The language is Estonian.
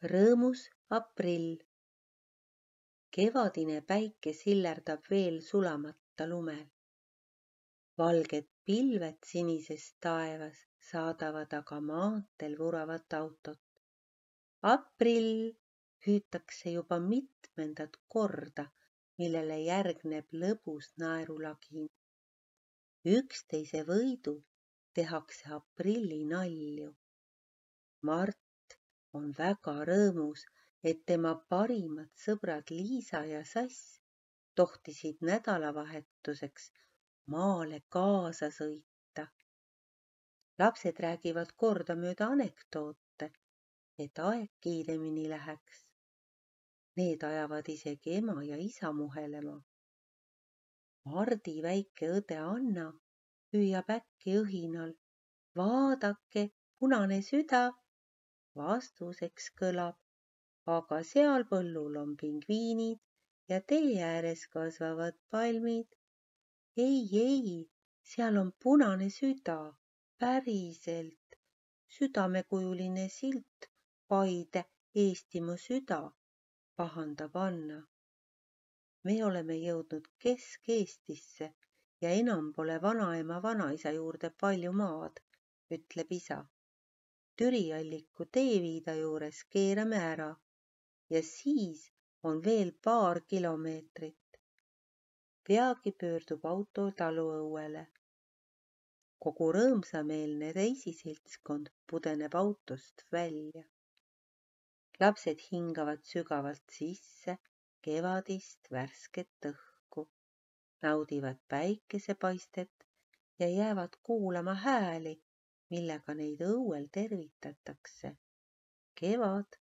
Rõõmus aprill. Kevadine päike sillerdab veel sulamata lumel. Valged pilved sinises taevas saadavad aga maanteel vuravat autot. Aprill hüütakse juba mitmendat korda, millele järgneb lõbus naerulagin. Üksteise võidu tehakse aprilli nalju. Mart on väga rõõmus, et tema parimad sõbrad Liisa ja Sass tohtisid nädalavahetuseks maale kaasa sõita. Lapsed räägivad kordamööda anekdoote, et aeg kiiremini läheks. Need ajavad isegi ema ja isa muhelema. Mardi väike õde Anna hüüab äkki õhinal: vaadake, punane süda! Vastuseks kõlab: aga seal põllul on pingviinid ja tee ääres kasvavad palmid. Ei, seal on punane süda, päriselt. Südamekujuline silt, Paide, Eestimaa süda, pahandab Anna. Me oleme jõudnud Kesk-Eestisse ja enam pole vanaema vanaisa juurde palju maad, ütleb isa. Türialliku teeviida juures keerame ära ja siis on veel paar kilomeetrit. Peagi pöördub auto taluõuele. Kogu rõõmsameelne reisiseltskond pudeneb autost välja. Lapsed hingavad sügavalt sisse kevadist värsket õhku, naudivad päikesepaistet ja jäävad kuulama hääli, millega neid õuel tervitatakse. Kevad